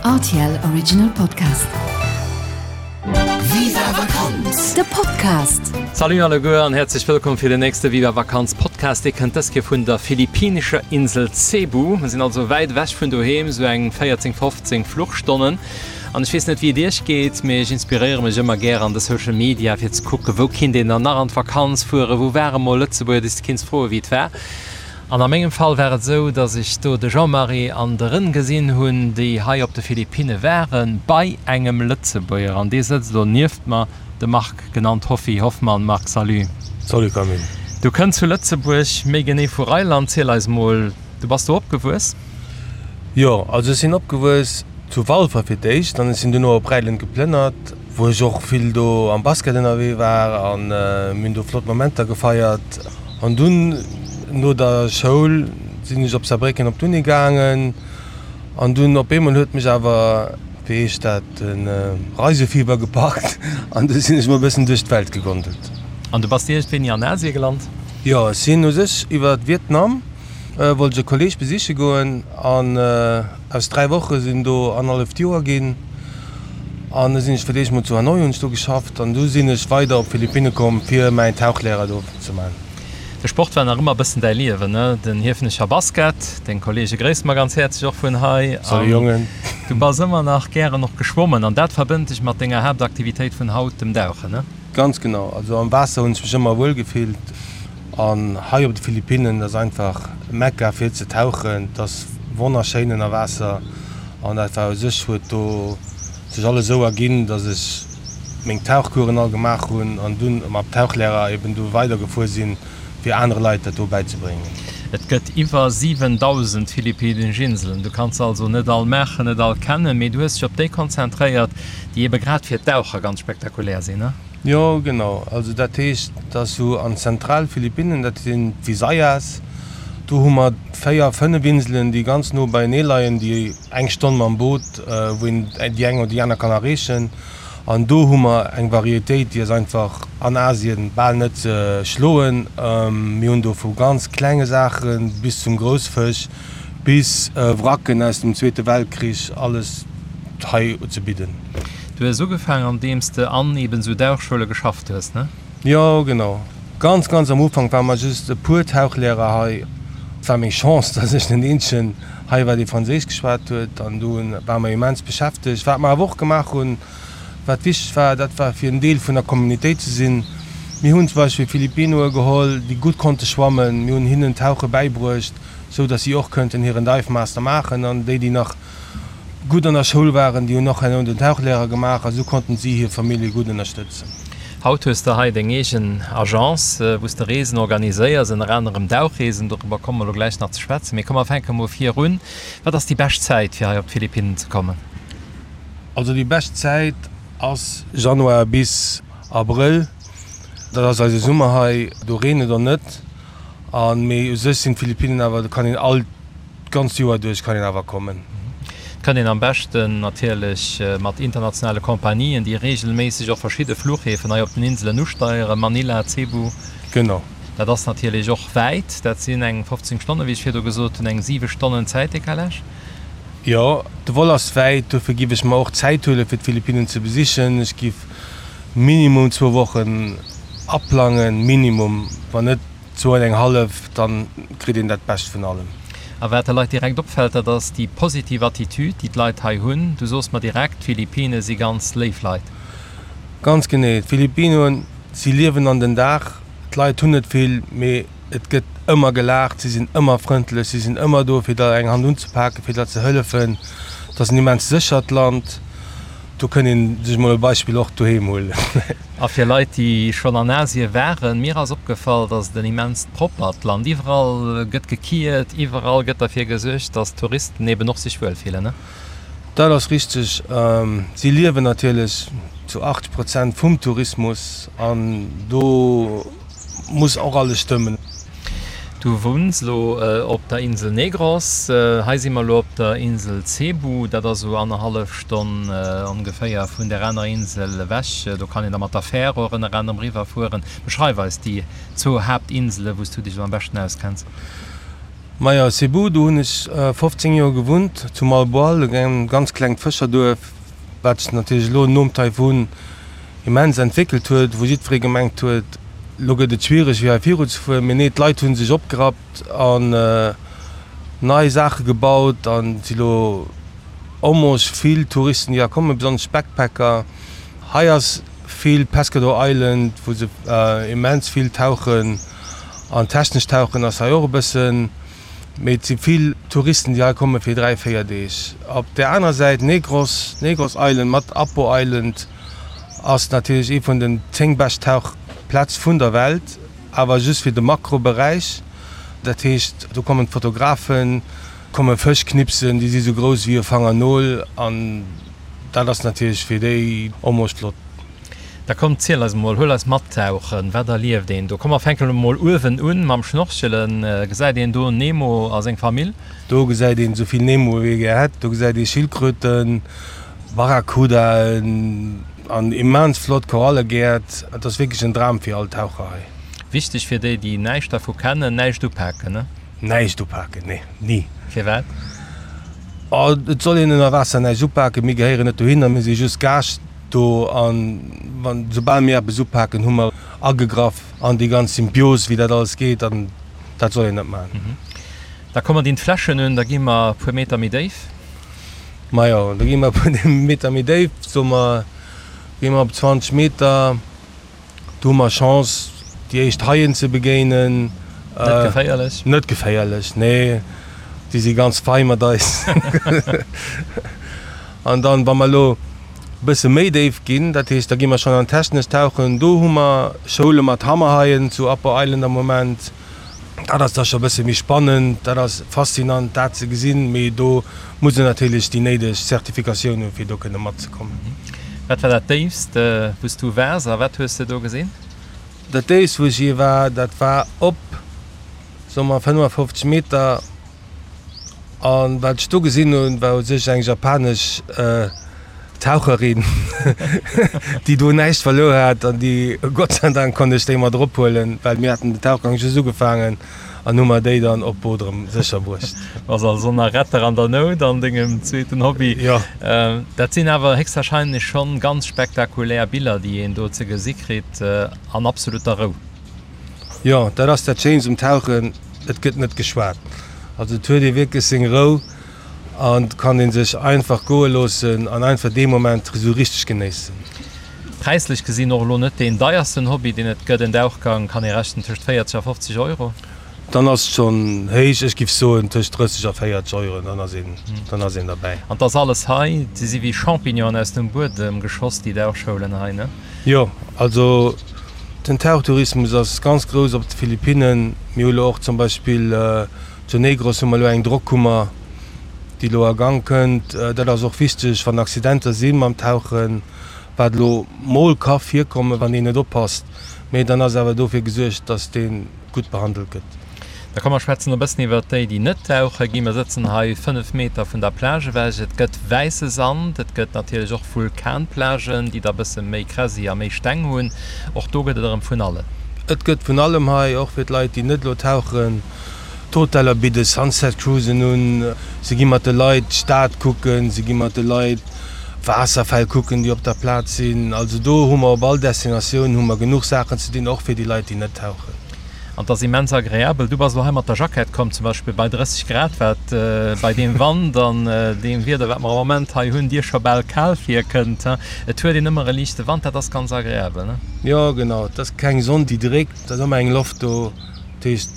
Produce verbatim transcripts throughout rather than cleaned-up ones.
R T L Original Podcast. Viva Vakanz! De Podcast. Salut alleguer an häerzlech wëllkomm fir den nächste Viva Vakanz Podcast. Dee kënnt dës Kéier vun der philippinescher Insel Cebu. Mir sinn also wäit ewech vun doheem, sou eng véierzéng, fofzéng Fluchstonnen. An ech weess net wéi et iech geet, mee ech inspiréiere mech ëmmer gär an de Social Media fir ze kucken, wou kinnt een dann nach an d'Vakanz fueren, wou ware mol Lëtzebuerger, déi s de kinns froen wéi et war. An a mengem Fall war et esou, dass ech do de Jean-Marie an de Rën gesinn hunn, déi hei op de Philippinne waren, bei engem Lëtzebuerger. An dee sëtzt elo nieft mer, de Marc, genannt Hoffi Hoffmann. Marc, salut. Salut Camille. Du kënns vu Lëtzebuerg, méi genee vu Rheinland. Ziel eis mol, du bass do opgewuess? Jo, also ech sinn opgewuess zu Walfer fir d'éischt an ech sinn duerno op Räiland geplënnert, wou ech och vill do am Basket ënnerwee war an mir hunn do flott Momenter gefeiert. An dunn no der Schoul sinn ech op Saarbrécken op d'Uni gaangen an dunn op eemol huet mech awer, wéi heescht dat, de Reisefieber gepackt an du sinn ech mol e bëssen duerch d'Welt gegondelt. An du bass iergendwéini an Asie gelant? Jo, ech sinn u sech iwwer Vietnam wollt ech e Kolleeg besiche goen an aus dräi Woche sinn do annerhalleft Joer ginn. An da sinn ech fir d'éischt mol zu Hanoi, hunn ech do geschafft an du sinn ech weider op d'Philippinne komm fir mäin Tauchlehrer do ze man. De Sport war nach ëmmer e bëssen däi Liewen, ne? Den Hiefenecher Basket, deng Kolleege gréisse mer ganz häerzlech och vun hei. Salut Jongen. Du bass ëmmer nach gären och geschwommen an dat verbënnt dech mat denger Haaptaktivitéit vun haut, dem Dauchen, ne? Ganz genau, also am Waasser hunn ech mech ëmmer wuel gefillt. An hei op de Philippinnen, dat ass einfach Mekka fir ze tauchen, et ass wonnerschéin ënner Waasser an dat war u sech, huet do sech alles esou erginn, datt ech meng Tauchcoursen all gemaach hunn an dunn mam Tauchlehrer eben do weidergefuer sinn, fir anere Leit dat do bäizebréngen. Et gëtt iwwer siwendausend philippinnesch Inselen, du kanns se also net all maachen, net all kennen, mee du hues dech op déi konzentréiert, déi ebe grad fir d'Daucher ganz spektakulär sinn, ne? Jo, genau. Also dat heescht, dass sou an Zentralphilippinnen, dat sinn d'Visayas, do hu mer véier, fënnef Inselen, déi ganz no beienee leien, déi eng Stonn mam Boot, wou een déi eng oder déi aner kann erreechen. An do hu mer eng Varietéit, déi ass einfach an Asien bal net ze schloen. Mir hunn do vu ganz klenge Saache bis zum Groussfësch, bis Wracken aus dem Zweete Weltkrich, alles hei ze bidden. Du hues ugefaangen andeems de an eben esou Dauchschoule geschafft hues, ne? Jo, genau. Ganz, ganz am Ufank ware mer just e puer Tauchlehrer hei. Et war meng Chance, dass ech den eenzegen hei war, dee Franséisch geschwat huet, an do ware mer immens beschäftegt. Wat mer awer och gemaach hunn, wat wichteg war, dat war fir en Deel vun der Communautéit ze sinn. Mir hunn zum Beispill Filipinoe geholl, déi gutt konnte schwammen. Mir hunn hinnen Tauche bäibruecht, sou dass si och kënnten hiren Dive Master maachen. An déi, déi nach gutt an der Schoul waren, déi hunn och herno den Tauchlehrer gemaach a sou konnten si hir Famillje gutt ënnerstëtzen. Haut hues de hei deng eegen Agence, wou s de Reesen organiséiers, ënner anerem Dauchreesen. Doriwwer komme mer elo gläich nach ze schwätzen. Mee komm, mer fänke mol vir un. Wat ass déi bescht Zäit, fir hei op d'Philippinnen ze kommen? Also déi bescht Zäit ass Januar bis Abrëll. Dat ass eise Summer hei, do reent et och net. A mee u sech sinn d'Philippinnen awer, do kann een all D'ganzt Joer duerch kann een awer kommen. Et kënnt een am beschten natierlech mat internationale Compagnien, déi reegelméisseg och verschidde Fluchhäfen hei op den Inselen usteieren, Manila, Cebu. Genau. Dat ass natierlech och wäit, dat sinn eng fofzéng Stonnen, wéi ech virdu gesot hunn, eng siwe Stonnen Zäitdecalage. Jo, de Vol ass wäit, dofir giff ech mer och Zäit huelen, fir d'Philippinnen ze besichen. Ech giff minimum zwou Wochen aplangen, minimum, wann net Zwou an eng hallef, dann kritt een dat Bescht vun allem. A wat de Leit direkt opfält, dat ass déi positiv Attitude, déi d'Leit hei hunn. Du soos mer direkt, d'Philippine si ganz léif Leit. Ganz genee. D'Philippinoen, si liewen an den Dag. D'Leit hunn net vill, mee et gëtt ëmmer gelaacht, si sinn ëmmer frëndlech, si sinn ëmmer do fir der eng Hand unzepaken, fir der ze hëllefen. Et ass en immens séchert Land. Do kënnt een sech mol e Beispill och doheem huelen. A fir Leit, déi schonn an Asie waren, mir ass opgefall, dass et en immenst proppert Land. Iwwerall gëtt gekiert, iwwerall gëtt derfir gesuergt, dass d'Touristen eben och sech wuel fillen. Dat ass richteg. Si liewen natierlech zu achtzeg Prozent vum Tourismus an do muss och alles stëmmen. Du wunns elo op der Insel Negros. Hei si mer elo op der Insel Cebu. Dat ass esou annerhallef Stonn ongeféier vun där anerer Insel ewech. Do kann een da mat der Fär och ënner anerem eriwwer fueren. Beschreif eis déi zwou Haaptinsele wou s du dech elo am beschten auskenns. Majo, Cebu, do hunn ech fofzéng Joer gewunnt, zu Moalboal, engem ganz klengt Fëscherduerf, wat sech natierlech elo nom Taifun immens entwéckelt huet, wou jiddweree gemengt huet, elo gëtt et schwiereg fir hei viruzefueren. Mee nee, d'Leit hu sech opgerappt an nei Saache gebaut an et si elo almost vill Touristen, déi hei kommen, besonnesch Backpacker. Hei ass vill Pescador Island, wou se immens vill tauchen an technesch tauchen ass hei och e bëssen. Mee et si vill Touristen, déi hei komme fir dräi, véier Deeg. Op där anerer Säit Negros, Negros Island mat Apo Island ass natierlech ee vun den zéng bescht Tauchplätz vun der Welt, awer just fir de Makroberäich. Dat heescht, do kommen d'Fotografen, komme Fësch knipsen, déi si sou grouss wéi e Fangernol an dat ass natierlech fir déi almost flott. Da komm, ziel eis emol, huel eis mat tauchen, wat erlieft een do? Komm mer fänken emol uewen un mam Schnorchelen. Gesäit een do Nemo a seng Famill? Do gesäit een esou vill Nemo wéi ee gär hätt. Do gesäit ee Schildkröten, Barracudaen an immens flott Korallegäert. Et ass wierklech en Dram fir all Taucher hei. Wichteg fir déi, déi näischt dervu kennen, näischt upaken, ne? Näischt upaken, nee, ni. Firwat? Oh, et soll een ënner Waasser näischt upaken. Mir gehéieren net dohinner, mir si just Gaascht do. An wann, soubal mir eppes upaken, hu mer agegraff an déi ganz Symbios, wéi dat alles geet. An dat soll een net maachen. Da komme mer dinn d'Fläschen un, da gi mer e puer Meter méi déif. Majo, da gi mer e puer Meter méi déif, soe mer, gi mer op zwanzeg Meter. Do hu mer Chance, déi éischt Haien ze begéinen. Net geféierlech? Net geféierlech, nee. Déi si ganz fei mat eis. An dann, wa mer elo e bësse méi déif ginn, dat heescht, da gi mer schonn an d'technescht Tauchen, do hu mer Schoule mat Hammerhaien zu Upper Island am Moment. Dat ass da scho e bësse méi spannend, dat ass faszinant, dat ze gesinn, mee do muss een natierlech déi néideg Zertifikatioun hunn, fir do kënne matzekommen. Wat war dat Déifst, wou s du waars a wat hues de do gesinn? Dat Déifst, wou ech jee war, dat war op, soe mer, fënnefafofzeg Meter. An wat ech do gesinn hunn, war u sech eng japanesch Taucherin, déi do näischt verluer hat an déi, Gott sei Dank konnt ech déi mat erophuelen, well mir haten den Tauchgang just ugefaangen an hu mer déi dann op d'Boot erëm sécher bruecht. Bass also nach Retter an der Nout an dengem zweeten Hobby. Jo. Dat sinn awer héchstwahrscheinlech schonn ganz spektakulär Biller, déi een do ze gesi kritt, an absoluter Rou. Jo, dat ass dat Schéinst um Tauchen, et gëtt net geschwat. Also et huet ee wierklech seng Rou an et kann ee sech einfach goe loossen an einfach dee Moment esou richteg genéissen. Präislech gesinn och elo net deen deiersten Hobby deen et gëtt. En Dauchgang kann ee rechnen tëscht véierzeg a fofzeg Euro. Dann ass et schonn héich, ech giff soen tëscht drësseg a véierzeg Euro, dann ass een, dann ass een derbäi. An 't ass alles hei, se si wéi Champignonen aus dem Buedem geschoss, déi Dauchschoulen hei, ne? Jo, also den Tauchtourismus ass ganz grouss op de Philippinnen. Mir hu lo och zum Beispill Zu Negros hu mer elo eng Drockkummer, déi elo a Gang kënnt. Dat ass och wichteg, wann Accidenter si mam Tauchen, wat elo mol ka virkommen, wann een net oppasst. Mee dann ass awer dofir gesuergt, dass dee gutt behandelt gëtt. Da komm mer schwätzen e bëssen iwwert déi, déi net tauche ginn. Mer sëtzen hei fënnef Meter vun der Plage ewech. Et gëtt wäisse Sand, et gëtt natierlech och Vulkanplagen, déi da bësse méi Kräsi a méi Steng hunn. Och do gëtt et erëm vun allem. Et gëtt vun allem hei, och fir d'Leit, déi net elo tauchen. D'Hoteller bidde Sunset Cruisen un, se gi mat de Leit d'Stad kucken, se gi mat de Leit Waasserfäll kucken, déi op der Plaz sinn. Also do hu mer op all Destinatioun hu mer genuch Saachen ze dinn, och fir déi Leit, déi net tauchen. An 't ass immens agreabel. Du bass elo hei mat der Jackett komm, zum Beispill bei drësseg Grad, wat bei deem Wand an deem Wieder, wat mer am Moment hei hunn, dir scho bal kal virkënnt. Et huet een ëmmer e liichte Wand, dat ass ganz agreabel, ne? Jo, genau. Et ass keng Sonn, déi dréckt, et ass ëmmer eng Loft do. Dat heescht,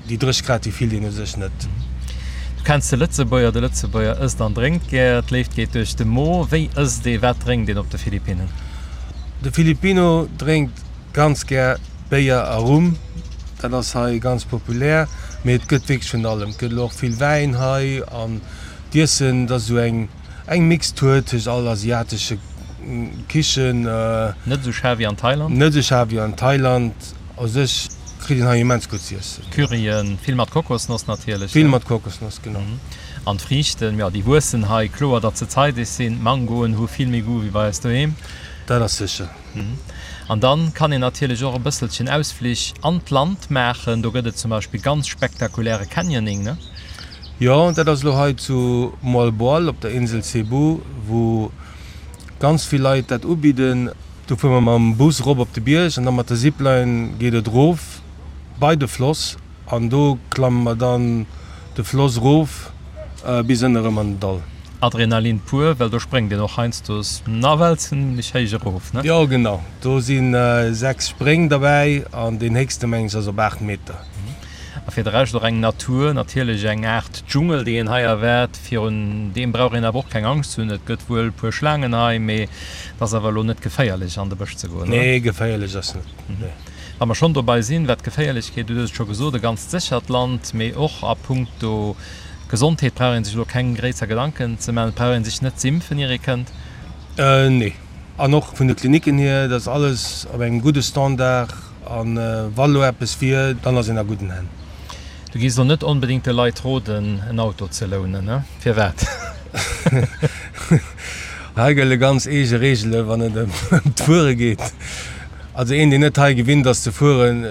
déi dréch Grad, déi fillt een u sech net. Du kenns de Lëtzebuerger, de Lëtzebuerger ësst an drénkt gär, d'Léift geet duerch de Mo. Wéi ësst ee, wat drénkt een op de Philippinnen? De Filipino drénkt ganz gär Béier a Rum, dat ass hei ganz populär, mee et gëtt wierklech vun allem. Et gëtt elo och vill Wäin hei an d'Iessen, dat ass esou eng eng Mixtur tëscht all asiatesche Kichen. Net esou schaarf wéi an Thailand? Net esou schaarf wéi an Thailand. U sech kritt een hei immens gutt z'iessen. Curryen, vill mat Kokosnoss natierlech. Vill mat Kokosnoss, genau. An d'Friichten, jo, déi wuessen hei. Kloer, datt se zeideg sinn. D'Mangoen hu vill méi Goût wéi bei eis doheem. Dat ass sécher. An dann kann een natierlech och e bësselchen Ausflich an d'Land maachen. Do gëtt et zum Beispill ganz spektakuläre Canyoning, ne? Jo, dat ass elo hei zu Moalboal op der Insel Cebu, wou ganz vill Leit dat ubidden. Do fuere mer mam Bus erop op de Bierg an da mat der Zipline geet et erof bei de Floss an do klamme mer dann de Floss erof bis ënne erëm an den Dall. Adrenalin pur, well do spréngt een och heiansdo nawell zimlech héich erof, ne? Jo, genau. Do si sechs Spréng derbäi an deen héchste meng ech ass op aacht Meter. A fir de Rescht och eng Natur, natierlech eng Aart Dschungel, déi een hei erwaart. Virun deem brauch een awer och keng Angscht ze hunn. Et gëtt wuel e puer Schlaangen hei, mee et ass awer elo net geféierlech an de Bësch ze goen, oder? Nee, geféierlech ass net, nee. Wa mer schonn dobei sinn, wat d'Geféierlechkeet, du hues et scho gesot, e ganzt séchert Land, mee och a puncto Gesondheet brauch ee sech elo keng gréisser Gedanken ze maachen. Et brauch ee sech net z'impfen, ier ee kënnt. Nee. An och vun de Klinicken hier, dat ass alles op engem gudde Standard. A wa lo eppes wier, dann ass een a gudden Hänn. Du gees elo net onbedéngt de Leit roden, en Auto ze lounen, ne? Firwat? Hei gëlle ganz eege Reegele wann et ëm d'Fuere geet. Also een, deen net hei gewinnt ass ze fueren,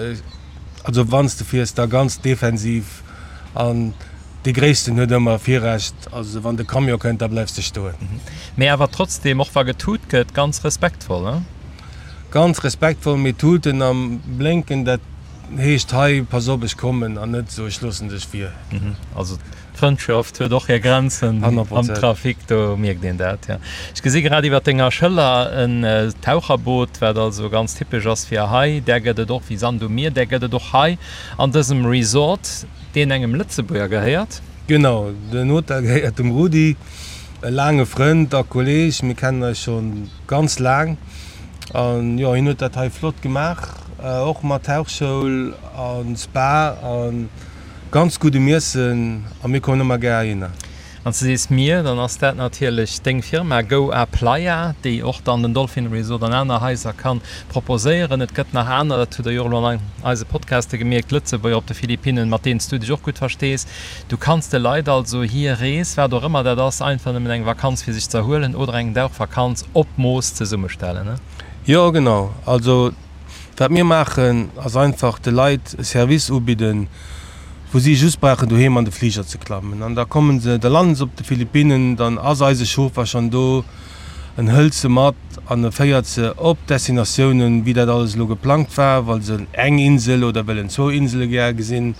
also wann s de fiers, da ganz defensiv an dee Gréissten huet ëmmer Virrecht. Also wann de Camion kënnt, da bleifs de stoen. Mee awer trotzdem, och wa getut gëtt, ganz respektvoll, ne? Ganz respektvoll, mee tuten a blénken, dat heescht hei, pass op, ech kommen, an net esou, ech loossen dech vir. Also d'Frëndschaft huet och hir Grenzen am Trafic, do mierkt een dat, jo. Ech gesi grad iwwer denger Schëller en Taucherboot, wat also ganz typesch ass fir hei. Där gëtt et och wéi Sand um Mier, där gëtt et och hei an dësem Resort, deen engem Lëtzebuerger gehéiert. Genau, den Hotel gehéiert dem Rudi, e laange Frënd a Kolleeg. Mir kennen eis scho ganz laang an jo, hien huet dat hei flott gemaach, och mat Tauchschoul a Spa a ganz guddem Iessen a mir kommen ëmmer gär heihinner. Wann s de sees mir, dann ass dat natierlech deng Firma Go A Playa, déi och dann den Dolphin Resort an aner Haiser kann proposéieren. Et gëtt nach aner, dat hutt der jo och elo an eise Podcaste gemierkt, Lëtzebuerger op de Philippinnen, mat deenen s du dech och gutt verstees. Du kanns de Leit also hir Rees, wat och ëmmer dat ass, einfach nëmmen eng Vakanz fir sech ze erhuelen oder eng Dauchvakanz op Mooss zesummestellen, ne? Jo, genau. Also wat mir maachen, ass einfach de Leit e Service ubidden, wou si just brauchen doheem an de Fliger ze klammen an da kommen se, da landen se op de Philippinnen, dann ass eise Chauffer schonn do, en hëlt se mat an e féiert se op d'Destinatiounen, wéi dat alles elo geplangt war, wa se eng Insel oder wëllen zwou Insele gär gesinn,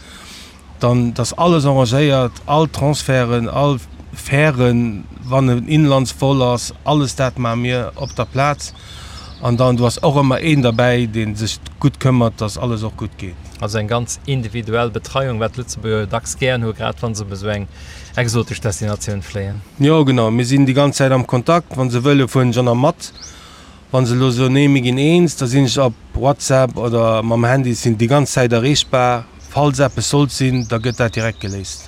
dann dass alles arrangéiert, all Transferten, all Fären, wann en Inlandsvol ass, alles dat maache mir op der Plaz. An dann do ass och ëmmer een derbäi, dee sech gutt këmmert, dass alles och gutt geet. Also eng ganz individuell Betreiung, wat d'Lëtzebuerger jo dacks gären hu, grad wa se op esou eng exotesch Destinatioun fléien. Jo, genau. Mir sinn déi ganz Zäit am Kontakt. Wa se wëlle fueren ech och nach mat. Wa se elo soen, nee, mir ginn eens, da sinn ech op WhatsApp oder mam Handy, sinn déi ganz Zäit erreechbar. Falls eppes sollt sinn, da gëtt dat direkt geléist.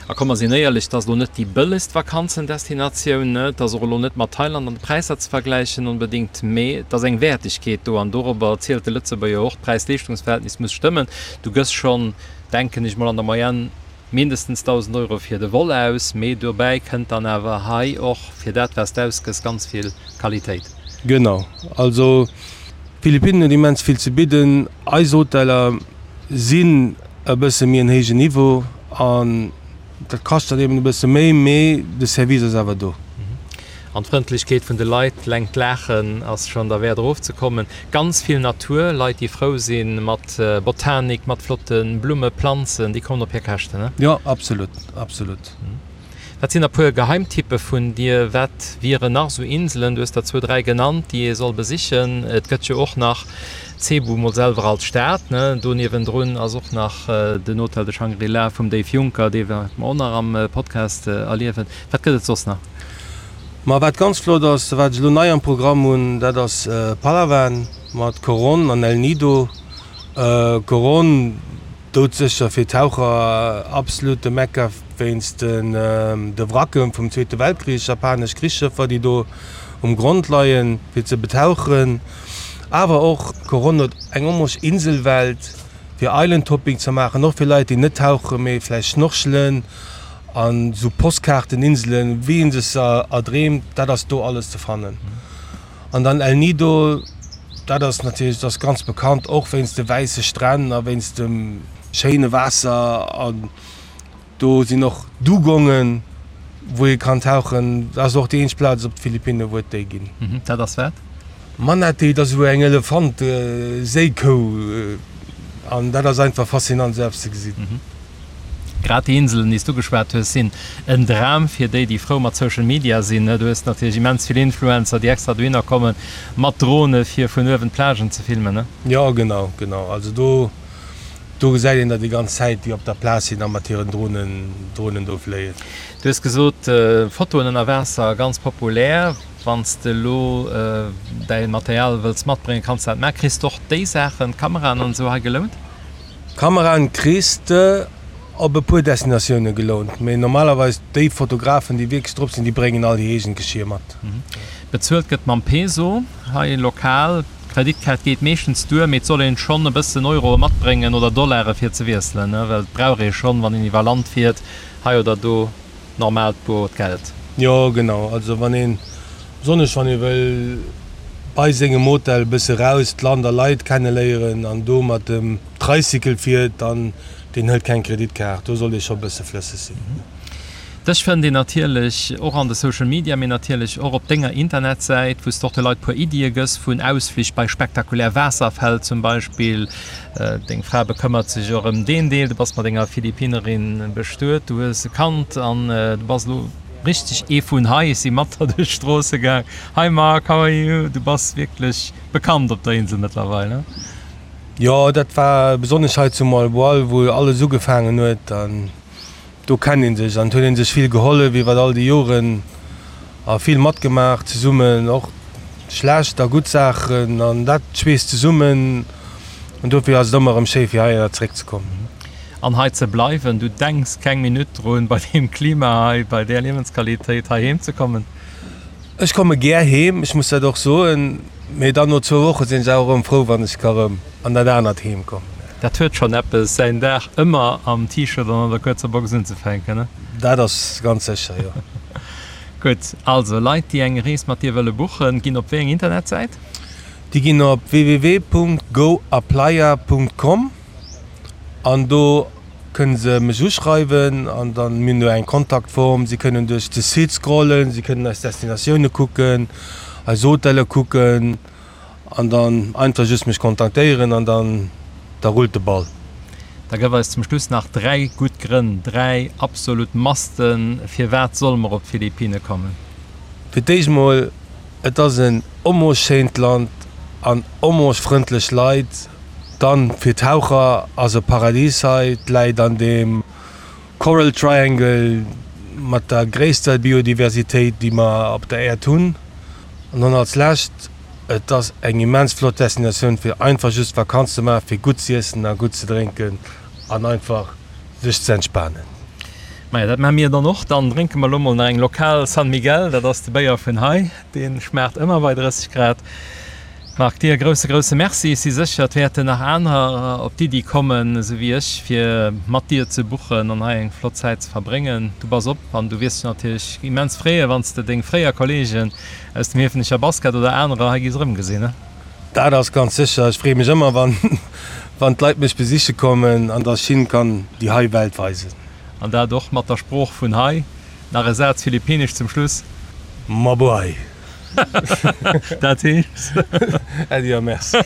A komm mer sinn éierlech, et ass elo net déi bëllegst Vakanzendestinatioun, et ass och elo net mat Thailand an de Präisser ze vergläichen onbedéngt, mee et ass eng Wäertegkeet do an dorobber zielt de Lëtzebuerger och. D'Präis-Leeschtungs-Verhältnis muss stëmmen. Du gëss schonn, denken ech mol, an der Moyenne mindestens dausend Euro fir de Vol aus, mee dobäi kënnt dann awer hei och fir dat wat s de ausgëss ganz vill Qualitéit. Genau, also d'Philippinen huet immens vill ze bidden. Eis Hoteller sinn e bësse méi en héijen Niveau an dat kascht dann eben e bësse méi, mee de Service ass awer do. An d'Frëndlechkeet vun de Leit, eleng d'Laachen ass schonn derwäert erofzekommen. Ganz vill Natur, Leit déi frou si mat Botanik, mat flotte Blumme, Planzen, déi kommen op hir Käschten, ne? Jo, absolut, absolut. Wat sinn e puer Geheimtippe vun dir? Wat wieren nach esou Inselen, du hues der zwou, dräi genannt, déi ee soll besichen? Et gëtt jo och nach Cebu mol selwer als Stad, ne? Do niewendrun ass och nach den Hotel de Shangri-La vum Dave Juncker, dee wäerte mer och nach am Podcast erliewen. Wat gëtt et soss nach? Ma wat ganz flott ass, wat ech elo nei am Programm hunn, dat ass Palawan mat Coron an El Nido. Coron, doudsécher fir Taucher absolut de Mekka wéinst de Wracke vum Zweete Weltkrich, japanesch Krichsschëffer, déi do um Grond leien, fir ze betauchen. Awer och Coron huet eng onmosch Inselwelt fir Island Hopping ze maachen, och fir Leit déi net tauchen, mee vläicht schnorchelen. An esou Postkaarteninselen, wéi een sech se erdreemt, dat ass do alles ze fannen. An dann El Nido, dat ass natierlech, dat ass ganz bekannt, och wéinst de wäisse Stränn a wéinst dem schéine Waasser. An do sinn och Dugongen, wou ee kann tauchen. Dat ass och déi eenzeg Plaz op de Philippinen, wou et déi ginn. Dat ass wat? Manatee, dat ass esou eng Elefant-Séikou. An dat ass einfach faszinant, esou eppes ze gesinn. Grad déi Inselen, déi s du ugeschwat hues, sinn en Dram fir déi, déi frou mat Social Media sinn. Du hues natierlech immens vill Influencer, déi extra dohinner komme mat Drone fir vun uewen d'Plagen ze filmen. Jo, genau, genau. Also do, do gesäit een der déi ganz Zäit, déi op der Plaz sinn a mat hiren Dronen, Dronen do fléien. Du hues gesot, Fotoen ënner Waasser ganz populär. Wann s de elo däi Material wëlls matbréngen, kanns de dat maachen. Kriss de och déi Saachen, d'Kameraen an esou hei gelount? Kameraen kriss de op e puer Destinatioune gelount, mee normalerweis déi Fotografen, déi wierklech drop sinn, déi bréngen all hir eegent Geschier mat. Bezuelt gëtt mam Peso hei lokal. D'Kreditkaart geet meeschtens duer, mee et soll een schonn e bëssen Euroe matbréngen oder Dollare fir ze wiesselen, well et brauch ee schonn, wann een iwwer Land fiert, hei oder do normaalt boert Geld. Jo genau, also wann een, besonnesch wann ee wëll bei sengem Hotel e bësse raus d'Land a Leit kenneléieren an do mat dem Tricycle fiert, dann deen hëlt keng Kreditkaart, do sollt ee scho bësse flësseg sinn. Dech fënnt een natierlech och an de Social Media, mee natierlech och op denger Internetsäit, wou s de och de Leit puer Iddie gëss vun Ausflich bei spektakulär Waasserfäll zum Beispill. Deng Fra bekëmmert sech och ëm deen Deel. Du bass mat enger Philippinerin bestuet, du hues e Kand an du bass elo richteg ee vun hei. Ech si mat der duerch d'Stroosse gaang. Hi Marc, how are you? Du bass wierklech bekannt op der Insel mëttlerweil, ne? Jo, dat war besonnesch hei zu Moalboal, wou alles ugefaangen huet. An do kennt ee sech an et huet ee sech vill gehollef iwwer all déi Joren a vill matgemaach zesummen, och schlecht a gutt Saachen an dat schweesst zesummen an dofir ass et ëmmer erëm schéi fir heihinner zeréckzekommen. An hei ze bleiwen. Du denks keng Minutt drun, bei deem Klima hei, bei där Liewensqualitéit hei heem ze kommen? Ech komme gär heem, ech muss dat och soen, mee dann no zwou Woche sinn ech awer erëm frou, wann ech ka rëm an dat anert Heem kommen. Dat huet schonn eppes, säin Dag ëmmer am T-Shirt an an der kuerzer Box unzefänken, ne? Dat ass ganz sécher, jo. Gutt, also Leit, déi eng Rees mat dir wëlle buchen, ginn op wéi eng Internetsäit? Déi ginn op www punkt goaplaya punkt com an do kënne se mech uschreiwen an dann mir hunn do eng Kontaktform. Si kënnen duerch de Site scrollen, si kënnen eis Destinatioune kucken, eis Hotelle kucken an dann einfach just mech kontaktéieren an dann da rullt de Ball. Da gëff eis zum Schluss nach dräi gutt Grënn, dräi absolut Masten, firwat solle mer op d'Philippine kommen? Fir d'éischt mol, et ass en omoschéint Land an omoschfrëndlech Leit. Dann fir Taucher ass e Paradis hei, et läit an deem Coral Triangle mat der gréisster Biodiversitéit déi mer op der Äerd hunn. An dann als lescht, et ass eng immens flott Destinatioun fir einfach just Vakanz ze maachen, fir gutt z'iessen a gutt ze drénken an einfach sech ze entspanen. Maja, dat maache mir dann och. Dann drénke mer elo mol nach eng lokal San Miguel, dat ass de Béier vun hei, dee schmaacht ëmmer bei drësseg Grad. Marc, dir e grousse, grousse Merci. Ech si sécher, et wäerten nach anerer op d'Iddi kommen, esou wéi ech, fir mat dir ze buchen an hei eng flott Zäit ze verbréngen. Du bass op an du wiers dech natierlech immens freeën, wann s de deng fréier Kolleegen aus dem Hiefenecher Basket oder anerer hei giss erëmgesinn. Dat ass ganz sécher. Ech freeë mech ëmmer, wann, wann d'Leit mech besiche kommen an dass ech hinne kann déi hei Welt weisen. An dat och mat der Sprooch vun hei. Nach e Saz Philippinesch zum Schluss. Mabuhay! Dat heescht? Äddi a Merci.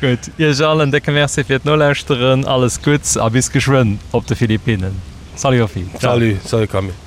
Gutt, Iech all en décke Merci fir d'Nolauschteren. Alles Gutts a bis geschwënn op de Philippinnen. Salut Hoffi. Ciao. Salut, salut Camille.